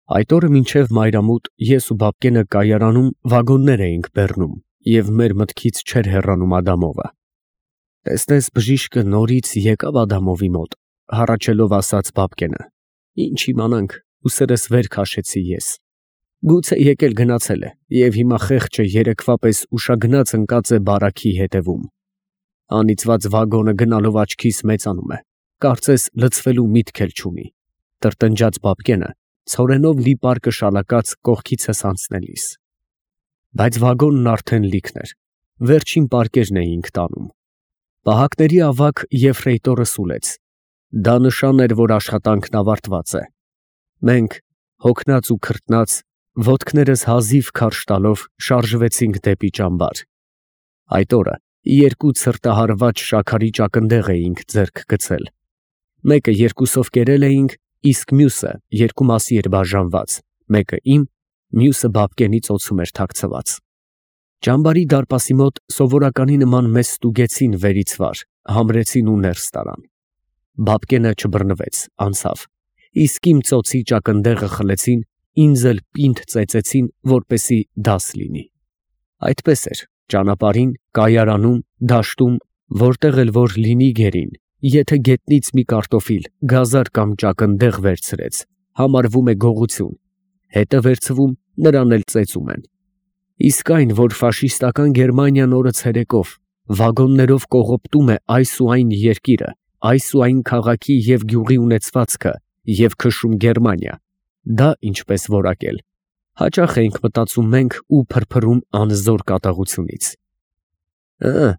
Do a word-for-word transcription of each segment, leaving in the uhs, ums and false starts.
Այդ օրը մինչև մայրամուտ ես ու Բաբկենը կայարանում վագոններ էինք բեռնում և մեր մտքից չէր հեռանում Ադամովը։ «Տեսնես, բժիշկը նորից եկավ Ադամովի մոտ», հառաչելով ասաց Բաբկենը։ «Ինչ իմանանք», ուսերս վեր քաշեցի ես։ «Գուցե եկել գնացել է և հիմա խեղճը երեկվա պես ուշագնաց ընկած է բարաքի հետևում։ Անիծված վագոնը գնալով աչքիս մեծանում է, կարծես լցվելու միտք էլ չունի», տրտնջաց Բաբկենը, ցորենով լի պարկը շալակած կողքիցս անցնելիս։ Բայց վագոնն արդեն լիքն էր, վերջին պարկերն էինք տանում։ Պահակների ավագ եֆրեյտորը սուլեց. դա նշան էր, որ աշխատանքն ավարտված է։ Մենք, հոգնած ու քրտնած, ոտքներս հազիվ քարշ տալով շարժվեցինք դեպի ճամբար։ Այդ օրը երկու ցրտահարված շաքարի ճակնդեղ էինք ձեռք գցել։ Մեկը երկուսով կերել էինք, իսկ մյուսը երկու մասի էր բաժանված, մեկը իմ, մյուսը Բաբկենի ծոցում էր թաքցված։ Ճամբարի դարպասի մոտ սովորականի նման մեզ ստուգեցին վերից վար, համրեցին ու ներս տարան։ Բաբկենը չբռնվեց, անցավ, իսկ իմ ծոցի ճակնդեղը խլեցին, ինձ էլ պինդ ծեծեցին, որպեսզի դաս լինի։ Այդպես էր ճանապարհին, կայարանում, դաշտում, որտեղ էլ որ լինի գերին, եթե գետնից մի կարտոֆիլ, գազար կամ ճակնդեղ վերցրեց, համարվում է գողություն, հետը վերցվում, նրան էլ ծեծում են։ Իսկ այն, որ ֆաշիստական Գերմանիան օրը ցերեկով վագոններով կողոպտում է այս ու այն երկիրը, այս ու այն քաղաքի և գյուղի ունեցվածքը և քշում Գերմանիա, դա ինչպես որակել, հաճախ էինք մտածում մենք ու փրփրում անզոր կատաղությունից։ «Ըը,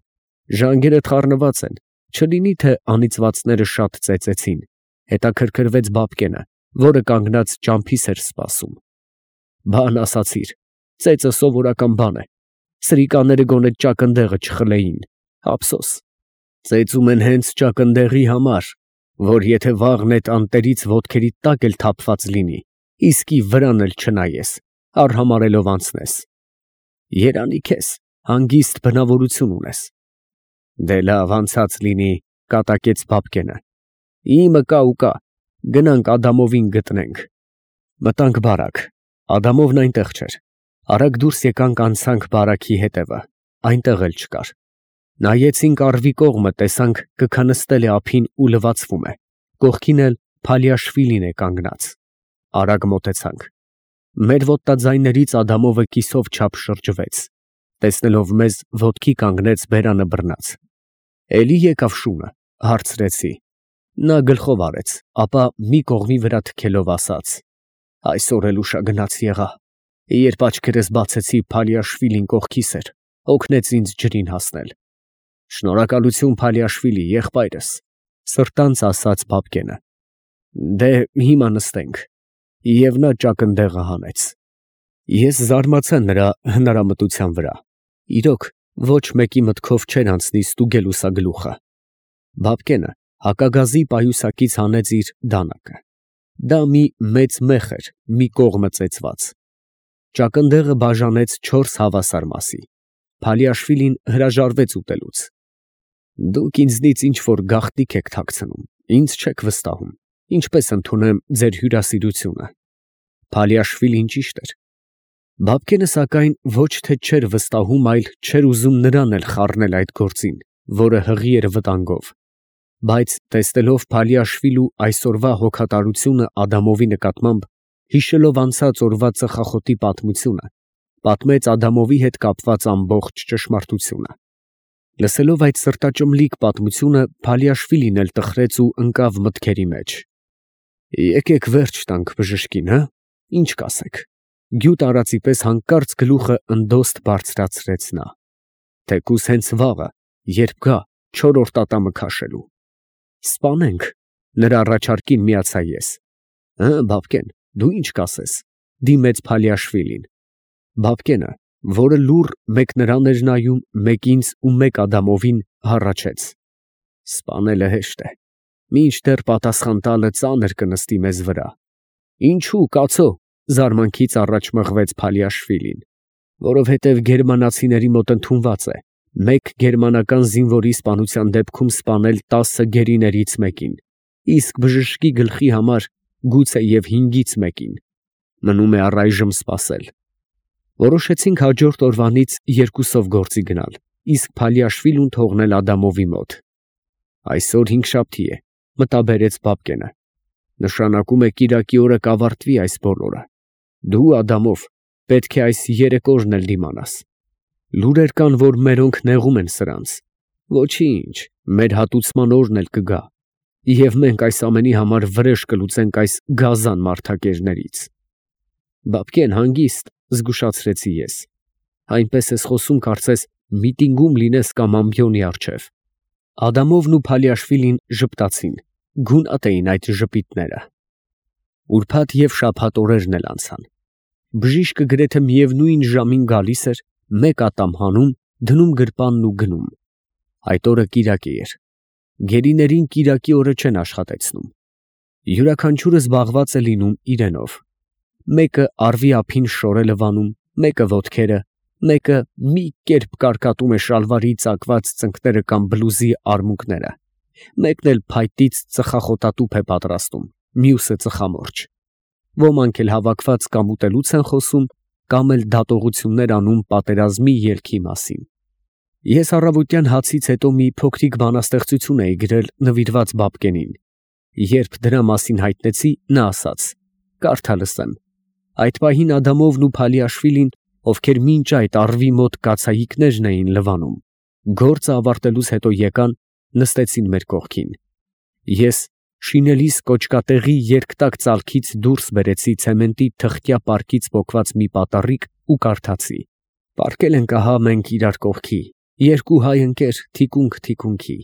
ժանգերդ խառնված են, չլինի թե անիծվածները շատ ծեծեցին», հետաքրքրվեց Բաբկենը, որը կանգնած ճամփիս էր սպասում։ «Բան ասացիր, ծեծը սովորական բան է, սրիկաները գոնե ճակնդեղը չխլեին, ափսոս։ Ծեծում են հենց ճակնդեղի համար, որ եթե վաղն էդ անտերից ոտքերիդ տակ էլ թափված լինի, իսկի վրան էլ չնայես, արհամարհելով անցնես։ Երանի քեզ, հանգիստ բնավորություն ունես»։ «Դե լավ, անցած լինի», կատակեց Բաբկենը։ «Իմը կա ու կա, գնանք Ադամովին գտնենք»։ Մտանք բարակ, Ադամովն այնտեղ չէր։ Արագ դուրս եկանք, անցանք բարաքի հետևը, այնտեղ էլ չկար։ Նայեցինք առվի կողմը, տեսանք կքնստել է ափին ու լվացվում է, կողքին էլ Փալիաշվիլին է կանգնած։ Արագ մոտեցանք։ Մեր ոտնաձայներից Ադամովը կիսով չափ շրջվեց, տեսնելով մեզ, ոտքի կանգնեց բերանը բռնած։ «Էլի եկավ շունը», հարցրեցի։ Նա գլխով արեց, ապա մի կողմի վրա թքելով ասաց. «Այսօր էլ ուշագնաց եղա, երբ աչքերս բացեցի, Փալիաշվիլին կողքիս էր, օգնեց ինձ ջրին հասնել»։ «Շնորհակալություն Փալիաշվիլի, եղբայրս», սրտանց ասաց Բաբկենը։ «Դե հիմա նստենք»։ Եվ նա ճակնդեղը հանեց։ Ես զարմացա նրա հնարամտության վրա։ Իրոք, ոչ մեկի մտքով չէր անցնի ստուգել ուսագլուխը։ Բաբկենը հակագազի պայուսակից հանեց իր դանակը։ Դա մի մեծ մեխ էր, մի կողմը ծեծված։ Ճակնդեղը բաժանեց չորս հավասար մասի։ Փալիաշվիլին հրաժարվեց ուտելուց։ «Դուք ինձնից ինչ֊որ գաղտնիք եք թաքցնում, ինձ չեք վստահում, ինչպես ընդունեմ ձեր հյուրասիրությունը»։ Փալիաշվիլին ճիշտ էր։ Բաբկենը, սակայն, ոչ թե չէր վստահում, այլ չէր ուզում նրան էլ խառնել այդ գործին, որը հղի էր վտանգով։ Բայց տեսնելով Փալիաշվիլու այսօրվա հոգատարությունը Ադամովի նկատմամբ, հիշելով անցած օրվա ծխախոտի պատմությունը, պատմեց Ադամովի հետ կապված ամբողջ ճշմարտությունը։ Լսելով այդ սրտաճմլիկ պատմությունը, Փալիաշվիլին էլ տխրեց ու ընկավ մտքերի մեջ։ «Եկեք վերջ տանք բժշկին, հը, ինչ կասեք»։ Գյուտ արածի պես հանկարծ գլուխը ընդոստ բարձրացրեց նա։ «Թեկուզ հենց վաղը, երբ գա, չորրորդ ատամը քաշելու»։ «Սպանենք», նրա առաջարկին միացա ես։ «Հը, Բաբկեն, դու ինչ կասես», դիմեց Փալիաշվիլին։ Բաբկենը, որը լուռ մեկ նրան էր նայում, մեկ ինձ ու մեկ Ադամովին, հառաչեց. «Սպանելը հեշտ է, մինչդեռ պատասխան տալը ծանր կնստի մեզ վրա»։ «Ինչու, կացո», զարմանքից առաջ մղվեց Փալիաշվիլին։ «Որովհետև գերմանացիների մոտ ընդունված է մեկ գերմանական զինվորի սպանության դեպքում սպանել տասը գերիներից մեկին, իսկ բժշկի գլխի համար գուցե և հինգից մեկին»։ Մնում է առայժմ սպասել։ Որոշեցինք հաջորդ օրվանից երկուսով գործի գնալ, իսկ Փալիաշվիլուն թողնել Ադամովի մոտ։ Այսօր հինգշաբթի է, մտաբերեց Բաբկենը։ Նշանակում է կիրակի օրը կավարտվի այս բոլորը։ Դու, Ադամով, պետք է այս երեք օրն էլ դիմանաս։ Լուրեր կան, որ մերոնք նեղում են սրանց։ Ոչինչ, մեր հատուցման օրն էլ կգա, և մենք այս ամենի համար վրեժ կլուծենք այս գազան մարդակերներից։ Բաբկեն, հանգիստ, զգուշացրեցի ես։ Այնպես ես խոսում, կարծես միտինգում լինես կամ ամբիոնի առջև։ Ադամովն ու Փալիաշվիլին ժպտացին, գունատ էին այդ ժպիտները։ Ուրբաթ և շաբաթ օրերն էլ անցան։ Բժիշկը գրեթե միևնույն ժամին գալիս էր, մեկ ատամ հանում, դնում գրպանն ու գնում։ Այդ օրը կիրակ էր։ Գերիներին կիրակի օրը չեն աշխատեցնում։ Յուրաքանչյուրը զբաղված է լինում իրենով։ Մեկը առվի ափին շորել է վանում, մեկը ոտքերը, մեկը մի կերպ կարկատում է շալվարի ծակված ծնկները կամ բլուզի արմունկները, մեկն էլ փայտից ծխախոտատուփ է պատրաստում, մյուսը ծխամորճ։ Ոմանք էլ հավաքված կամ ուտելուց են խոսում, կամ էլ դատողություններ անում պատերազմի ելքի մասին։ Ես առավոտյան հացից հետո մի փոքրիկ բանաստեղծություն էի գրել նվիրված Բաբկենին։ Երբ դրա մասին հայտնեցի, նա ասաց. «Կարդա լսեմ»։ Այդ պահին Ադամովն ու Փալիաշվիլին, ովքեր մինչ այդ առվի մոտ կացայիկներն էին լվանում, գործը ավարտելուց հետո եկան, նստեցին մեր կողքին։ Ես շինելիս կոճկատեղի երկտակ ծալքից դուրս բերեցի ցեմենտի թղթյա պարկից պոկված մի պատառիկ ու կարդացի. «Պառկել ենք ահա մենք իրար կողքի, երկու հայ ընկեր թիկունք թիկունքի,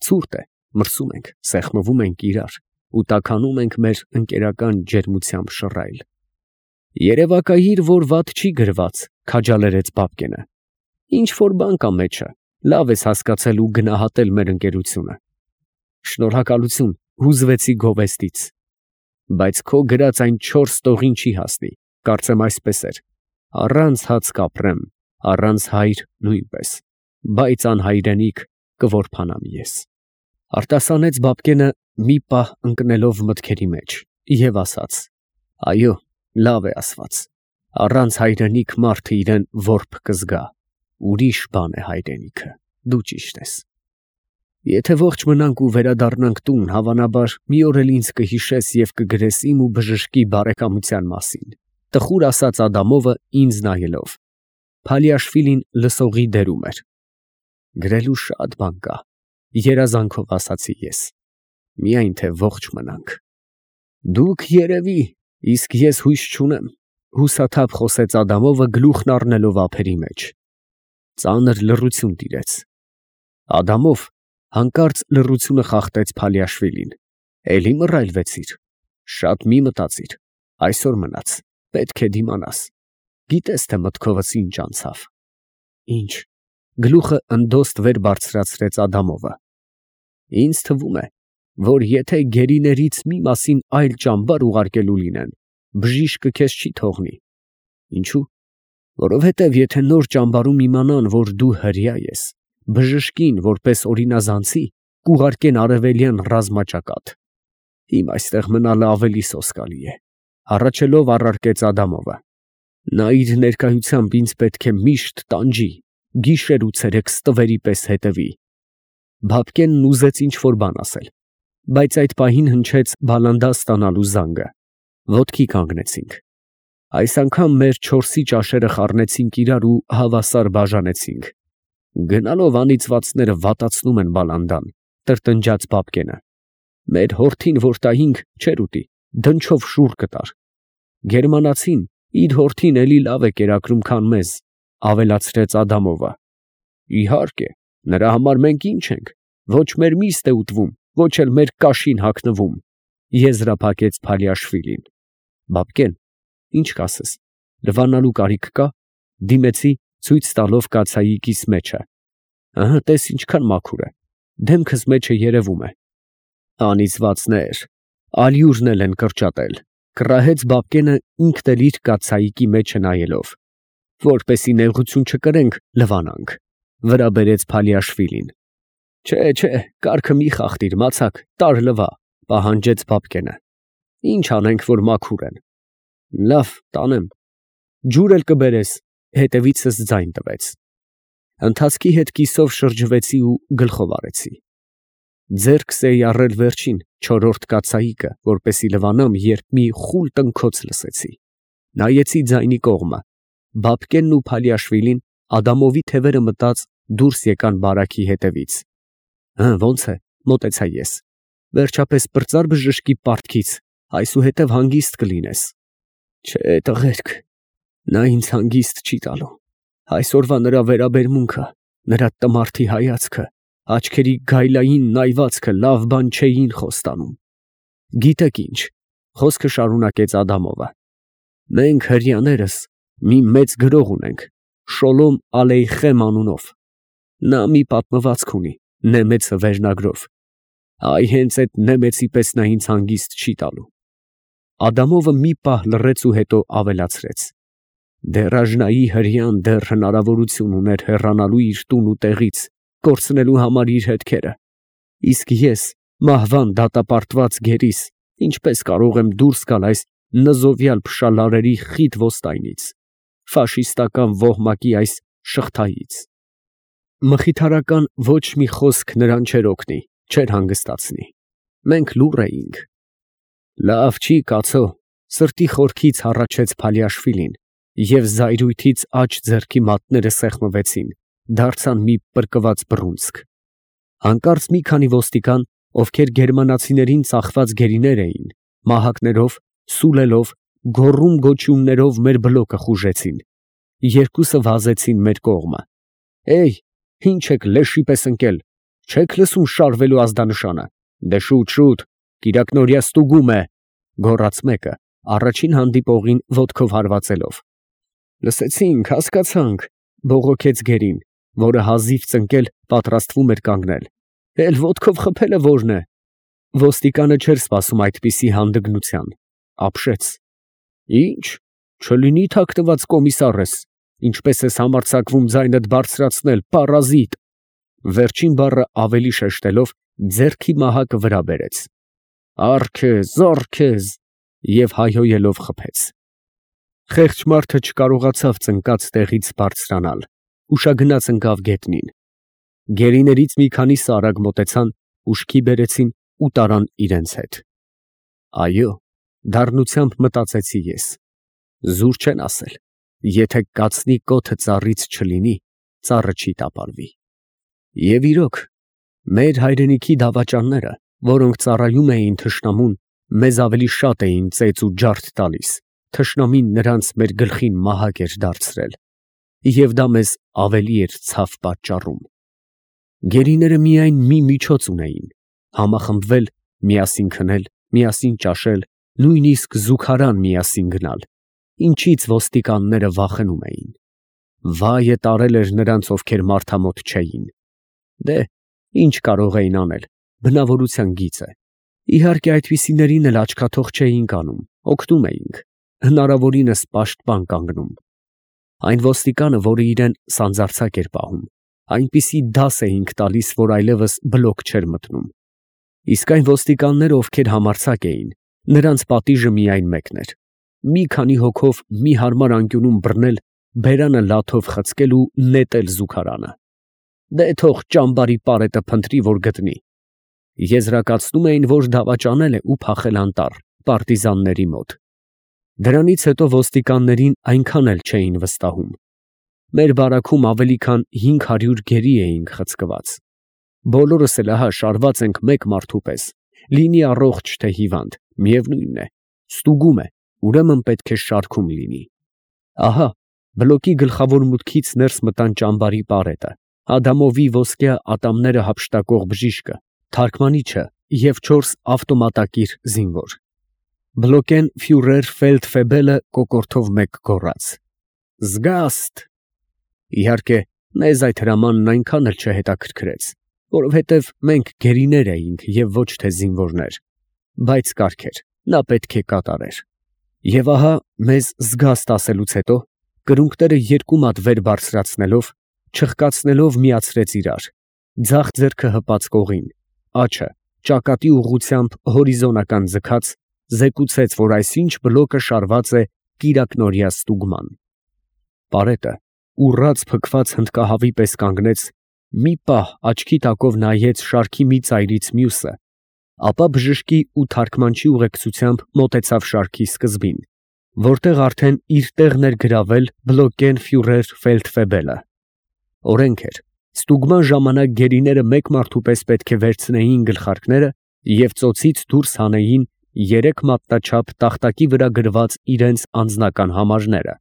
ցուրտ է, մրսում ենք, սեղմվում ենք իրար ու տաքանում ենք մեր ընկերական ջերմությամբ շռայլ»։ Երևակայիր, որ վատ չի գրված, քաջալերեց Բաբկենը։ Ինչ որ բան կա մեջը, լավ ես հասկացել ու գնահատել մեր ընկերությունը։ Շնորհակալություն, հուզվեցի գովեստից։ Բայց քո գրած այն չորս տողին չի հասնի, կարծեմ այսպես էր. առանց հաց կապրեմ, առանց հայր նույնպես, բայց անհայրենիք կորփանամ ես։ Արտասանեց Բաբկենը մի պահ ընկնելով մտքերի մեջ և ասաց. այո, լավ է ասված, առանց հայրենիք մարդը իրեն որբ կզգա, ուրիշ բան է հայրենիքը, դու ճիշտ ես։ Եթե ողջ մնանք ու վերադառնանք տուն, հավանաբար մի օր էլ ինձ կհիշես և կգրես իմ ու բժշկի բարեկամության մասին, տխուր ասաց Ադամովը ինձ նայելով։ Փալիաշվիլին լսողի դերում էր։ Գրելու շատ բան կա, երազանքով ասացի ես, միայն թե ողջ մնանք։ Դուք երևի, իսկ ես հույս չունեմ, հուսաթափ խոսեց Ադամովը գլուխն առնելով ափերի մեջ։ Ծանր լռություն տիրեց։ Ադամով հանկարծ լռությունը խախտեց Փալիաշվիլին։ Էլի մռայլվեցիր, շատ մի մտածիր, այսօր մնաց, պետք է դիմանաս, գիտես թե մտքովս ինչ անցավ։ Ինչ, գլուխը ընդոստ վեր բարձրացրեց Ադամովը։ Ինձ թվում է, որ եթե գերիներից մի մասին այլ ճամբար ուղարկելու լինեն, բժիշկը քեզ չի թողնի։ Ինչու՞։ Որովհետև եթե նոր ճամբարում իմանան, որ դու հրեա ես, բժշկին որպես օրինազանցի կուղարկեն արևելյան ռազմաճակատ։ Իմ այստեղ մնալը ավելի սոսկալի է, հառաչելով առարկեց Ադամովը։ Նա իր ներկայությամբ ինձ պետք է միշտ տանջի, գիշեր ու ցերեկ ստվերի պես հետևի։ Բաբկենն ուզեց ինչ որ բան ասել, բայց այդ պահին հնչեց բալանդա ստանալու զանգը։ Ոտքի կանգնեցինք։ Այս անգամ մեր չորսի ճաշերը խառնեցինք իրար ու հավասար բաժանեցինք։ Գնալով անիծվածները վատացնում են բալանդան, տրտնջաց Բաբկենը։ Մեր հորթին որ տայինք, չէր ուտի, դնչով շուռ կտար։ Գերմանացին իր հորթին էլի լավ է կերակրում, քան մեզ, ավելացրեց Ադամովը։ Իհարկե, նրա համար մենք ինչ ենք, ոչ մեր միստ է ուտվում, ոչ էլ մեր կաշին հագնվում, եզրափակեց Փալիաշվիլին։ Բաբկեն, ինչ կասես, լվանալու կարիք կա, դիմեցի ցույց տալով կացայիկիս մեջը։ Ահա տես ինչքան մաքուր է, դեմքս մեջը երևում է։ Անիծվածներ, ալյուրն էլ են կրճատել, կռահեց Բաբկենը ինքն էլ իր կացայիկի մեջը նայելով։ Որպեսի նեղություն չկրենք, լվանանք, վրա բերեց Փալիաշվիլին։ Չէ, չէ, կարգը մի խախտիր, մացակ, տար լվա, պահանջեց Բաբկենը։ Ինչ անենք, որ մաքուր են։ Լավ, տանեմ։ Ջուր էլ կբերես, հետևիցս ձայն տվեց։ Ընթացքի հետ կիսով շրջվեցի ու գլխով արեցի։ Ձեռքս էի առել վերջին, չորրորդ կաթսայիկը, որպեսի լվանամ, երբ մի խուլ տնքոց լսեցի։ Նայեցի ձայնի կողմը։ Բաբկենն ու Փալիաշվիլին Ադամովի թևերը մտած դուրս եկան բարաքի հետևից։ Հը, ո՞նց է, մոտեցա ես։ Վերջապես պրծար բժշկի պարտքից, այսուհետև հանգիստ կլինես։ Չէ, տղերք, նա ինձ հանգիստ չի տալու։ Այսօրվա նրա վերաբերմունքը, նրա տմարդի հայացքը, աչքերի գայլային նայվածքը լավ բան չէին խոստանում։ Գիտեք ինչ, խոսքը շարունակեց Ադամովը։ Մենք հրեաներս մի մեծ գրող ունենք, Շոլոմ Ալեյխեմ անունով։ Նա մի պատմվածք ունի, Նեմեցը վերնագրով։ Այ հենց այդ Նեմեցի պես նա ինձ հանգիստ չի տալու։ Ադամովը մի պահ լռեց ու հետո ավելացրեց. Դեռաժնայի հրեան դեռ հնարավորություն ուներ հեռանալու իր տուն ու տեղից, կորցնելու համար իր հետքերը։ Իսկ ես, մահվան դատապարտված գերիս, ինչպես կարող եմ դուրս գալ այս նզովյալ փշալարերի խիտ ոստայնից, ֆաշիստական ոհմակի այս շղթայից։ Մխիթարական ոչ մի խոսք նրան չէր օգնի, չէր հանգստացնի։ Մենք լուռ էինք։ Լավ չի, կացո, սրտի խորքից հառաչեց Փալիաշվիլին, և զայրույթից աջ ձեռքի մատները սեղմվեցին, դարձան մի պրկված բռունցք։ Հանկարծ մի քանի ոստիկան, ովքեր գերմանացիներին ծախված գերիներ էին, մահակներով, սուլելով, գոռում֊գոչյուններով մեր բլոկը խուժեցին։ Երկուսը վազեցին մեր կողմը։ Էյ, ինչ եք լեշի պես ընկել, չեք լսում շարվելու ազդանշանը։ Դե շուտ, շուտ, կիրակնօրյա ստուգում է, գոռաց մեկը, առաջին հանդիպողին ոտքով հարվածելով։ Լսեցինք, հասկացանք, բողոքեց գերին, որը հազիվ ծնկել պատրաստվում էր կանգնել։ Էլ ոտքով խփելը որն է։ Ոստիկանը չէր սպասում այդպիսի հանդգնության, ապշեց։ Ինչ, չլինի թաքնված կոմիսար ես, ինչպես ես համարձակվում ձայնդ բարձրացնել, պարազիտ։ Վերջին բառը ավելի շեշտելով ձեռքի մահակը վրա բերեց։ Առ քեզ, առ քեզ, և հայհոյելով խփեց։ Խեղճ մարդը չկարողացավ ծնկած տեղից բարձրանալ, ուշագնաց ընկավ գետնին։ Գերիներից մի քանիսը արագ մոտեցան, ուշքի բերեցին ու տարան իրենց հետ։ Այո, դառնությամբ մտածեցի ես։ Զուր չեն ասել, եթե կացնի կոթը ծառից չլինի, ծառը չի տապալվի։ Եվ իրոք, մեր հայրենիքի դավաճանները, որոնք ծառայում էին թշնամուն, մեզ ավելի շատ էին ծեծ ու ջարդ տալիս, թշնամին նրանց մեր գլխին մահակ էր դարձրել, և դա մեզ ավելի էր ցավ պատճառում։ Գերիները միայն մի միջոց ունեին, համախմբվել, միասին քնել, միասին ճաշել, նույնիսկ զուգարան միասին գնալ, ինչից ոստիկանները վախենում էին։ Վայը տարել էր նրանց, ովքեր մարդամոտ չէին։ Դե, ինչ կարող էին անել, բնավորության գիծ է։ Իհարկե այդպիսիներին էլ աչքաթող չէինք անում, օգնում էինք, հնարավորինս պաշտպան կանգնում։ Այն ոստիկանը, որը իրեն սանձարձակ էր պահում, այնպիսի դաս էինք տալիս, որ այլևս բլոկ չէր մտնում։ Իսկ այն ոստիկանները, ովքեր համարձակ էին, նրանց պատիժը միայն մեկն էր՝ մի քանի հոգով մի հարմար անկյունում բռնել, բերանը լաթով խցկել ու նետել զուգարանը։ Դե թող ճամբարի պարետը փնտրի, որ գտնի։ Եզրակացնում էին, որ դավաճանել է ու փախել անտառ, պարտիզանների մոտ։ Դրանից հետո ոստիկաններին այնքան էլ չէին վստահում։ Մեր բարաքում ավելի քան հինգ հարյուր գերի էինք խցկված։ Բոլորս էլ ահա շարված ենք մեկ մարդու պես, լինի առողջ թե հիվանդ, միևնույն է, ստուգում է, ուրեմն պետք է շարքում լինի։ Ահա, բլոկի գլխավոր մուտքից ներս մտան ճամբարի պարետը, Ադամովի ոսկյա ատամները հափշտակող բժիշկը, թարգմանիչը և չորս ավտոմատակիր զինվոր։ Բլոկեն ֆյուրեր Ֆելդֆեբելը կոկորդով մեկ գոռաց. Զգաստ։ Իհարկե, մեզ այդ հրամանն այնքան էլ չհետաքրքրեց, որովհետև մենք գերիներ էինք և ոչ թե զինվորներ, բայց կարգ էր, նա պետք է կատարեր։ Եվ ահա մեզ զգաստ ասելուց հետո, կրունկները երկու մատ վեր բարձրացնելով, չխկացնելով միացրեց իրար, ձախ ձեռքը հպած կողին, աջը ճակատի ուղղությամբ հորիզոնական ձգած, զեկուցեց, որ այսինչ բլոկը շարված է կիրակնորյա ստուգման։ Պարետը ուռած փքված հնդկահավի պես կանգնեց, մի պահ աչքի տակով նայեց շարքի մի ծայրից մյուսը, ապա բժշկի ու թարգմանչի ուղեկցությամբ մոտեցավ շարքի սկզբին, որտեղ արդեն իր տեղն էր գրավել բլոկեն ֆյուրեր ֆելդֆեբելը։ Օրենք էր, ստուգման ժամանակ գերիները մեկ մարդու պես պետք է վերցնեին գլխարկները և ծոցից դուրս հանեին երեք մատնաչափ տախտակի վրա գրված իրենց անձնական համարները,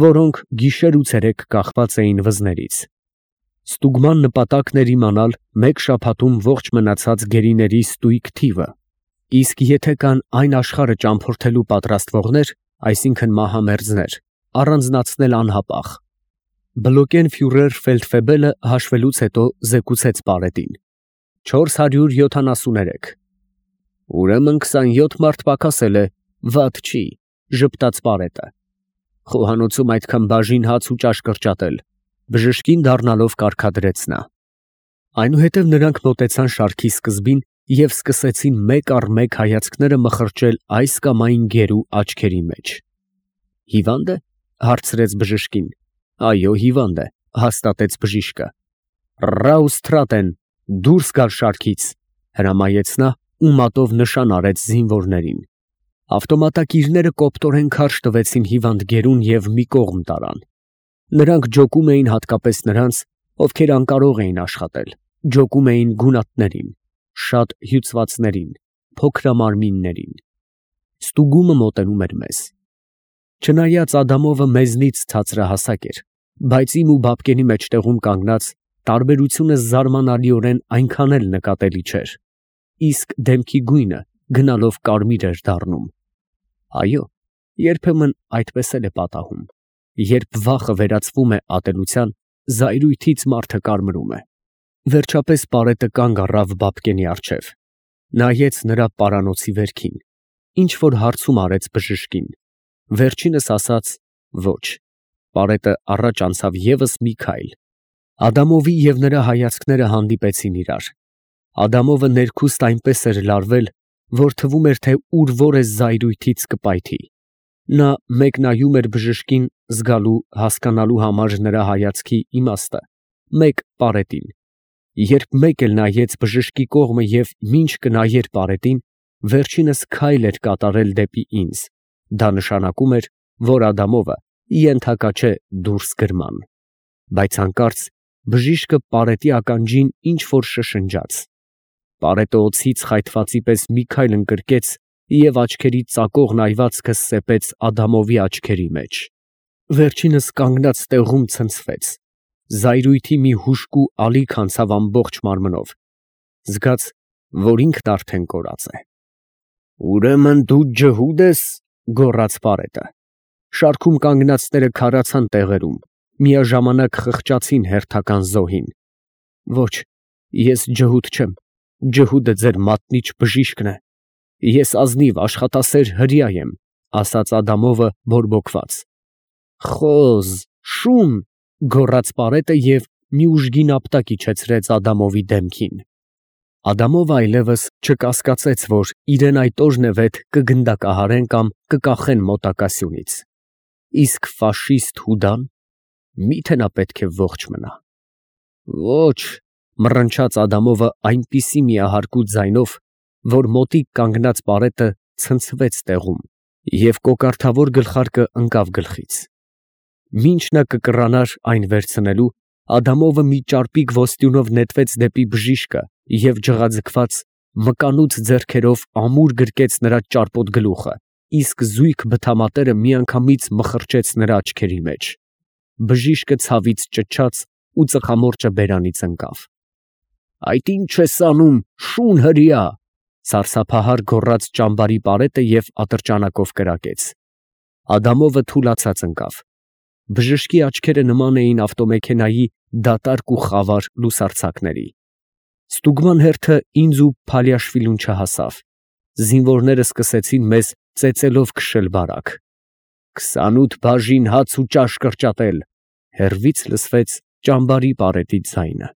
որոնք գիշեր ու ցերեկ կախված էին վզներից։ Ստուգման նպատակն էր իմանալ մեկ շաբաթում ողջ մնացած գերիների ստույգ թիվը, իսկ եթե կան այն աշխարհը ճամփորդելու պատրաստվողներ, այսինքն մահամերձներ, առանձնացնել անհապաղ։ Բլոկեն ֆյուրեր ֆելդֆեբելը հաշվելուց հետո զեկուցեց Պարետին. չորս հարյուր յոթանասուներեք։ Ուրեմն քսանյոթ մարդ պակասել է, վատ չի, ժպտաց Պարետը։ Խոհանոցում այդքան բաժին հաց ու ճաշ կրճատել, բժշկին դառնալով կարգադրեց նա։ Այնուհետև նրանք մոտեցան շարքի սկզբին և սկսեցին մեկ առ մեկ հայացքները մխրճել այս կամ այն գերու աչքերի մեջ։ Հիվա՞նդ է, հարցրեց բժշկին։ Այո, հիվանդ է, հաստատեց բժիշկը։ Ռաուստրատեն, դուրս գալ շարքից, հրամայեց նա ու մատով նշան արեց զինվորներին։ Ավտոմատակիրները կոպտորեն քարշ տվեցին հիվանդ գերուն և մի կողմ տարան։ Նրանք ջոկում էին հատկապես նրանց, ովքեր անկարող էին աշխատել, ջոկում էին գունատներին, շատ հյուծվածներին, փոքրամարմիններին։ Ստուգումը մոտենում էր մեզ։ Չնայած Ադամովը մեզնից ցածրահասակ էր, բայց իմ ու Բաբկենի մեջտեղում կանգնած տարբերությունը զարմանալիորեն այնքան էլ նկատելի չէր, իսկ դեմքի գույնը գնալով կարմիր էր դառնում։ Այո, երբեմն այդպես էլ է պատահում, երբ վախը վերածվում է ատելության, զայրույթից մարդը կարմրում է։ Վերջապես Պարետը կանգ առավ Բաբկենի առջև, նայեց նրա պարանոցի վերքին, ինչ որ հարցում արեց բժշկին, վերջինս ասաց ոչ։ Պարետը առաջ անցավ ևս մի քայլ։ Ադամովի և նրա հայացքները հանդիպեցին իրար։ Ադամովը ներքուստ այնպես էր լարվել, որ թվում էր, թե ուր որ է զայրույթից կպայթի։ Նա մեկ նայում էր բժշկին զգալու, հասկանալու համար նրա հայացքի իմաստը, մեկ Պարետին։ Երբ մեկ էլ նայեց բժշկի կողմը և մինչ կնայեր Պարետին, վերջինս քայլ էր կատարել դեպի ինձ, դա նշանակում էր, որ Ադամովը ենթակա չէ դուրս գրման։ Բայց հանկարծ բժիշկը Պարետի ականջին ինչ որ շշնջաց։ Պարետը օձից խայթվածի պես մի քայլ ընկրկեց և աչքերի ծակող նայվածքը սեպեց Ադամովի աչքերի մեջ։ Վերջինս կանգնած տեղում ցնցվեց։ Զայրույթի մի հուժկու ալիք անցավ ամբողջ մարմնով։ Զգաց, որ ինքն արդեն կորած է։ Ուրեմն դու ջհուդ ես, գոռաց Պարետը։ Շարքում կանգնածները քարացան տեղերում, միաժամանակ խղճացին հերթական զոհին։ Ոչ, ես ջհուդ չեմ, ջհուդը ձեր մատնիչ բժիշկն է։ Ես ազնիվ աշխատասեր հրեա եմ, ասաց Ադամովը բորբոքված։ Խոզ, շուն, գոռաց Պարետը և մի ուժգին ապտակ իջեցրեց Ադամովի դեմքին։ Ադամովը այլևս չկասկածեց, որ իրեն այդ օրնևեթ կգնդակահարեն կամ կկախեն մոտակա սյունից։ Իսկ ֆաշիստ Հուդան, մի՞թե նա պետք է ողջ մնա։ Ոչ, մռնչաց Ադամովը այնպիսի միահարկու ձայնով, որ մոտիկ կանգնած Պարետը ցնցվեց տեղում և կոկարդավոր գլխարկը ընկավ գլխից։ Մինչ նա կկռանար այն վերցնելու, Ադամովը մի ճարպիկ ոսტյունով նետվեց դեպի բժիշկը և ջղաձգված, մկանուց ձեռքերով ամուր գրկեց նրա ճարպոտ գլուխը, իսկ զույգ բթամատերը միանգամից մխրճեց նրա աչքերի մեջ։ Բժիշկը ցավից ճչաց ու ծխամորճը բերանից ընկավ։ Այդ ի՞նչ ես անում, շուն հրեա, սարսափահար գոռաց ճամբարի Պարետը և ատրճանակով կրակեց։ Ադամովը թուլացած ընկավ։ Բժշկի աչքերը նման էին ավտոմեքենայի դատարկ ու խավար լուսարձակների։ Ստուգման հերթը ինձ ու Փալիաշվիլուն չհասավ։ Զինվորները սկսեցին մեզ ծեծելով քշել բարակ։ Քսանութ բաժին հաց ու ճաշ կրճատել, հեռվից լսվեց ճամբարի Պարետի ձայնը։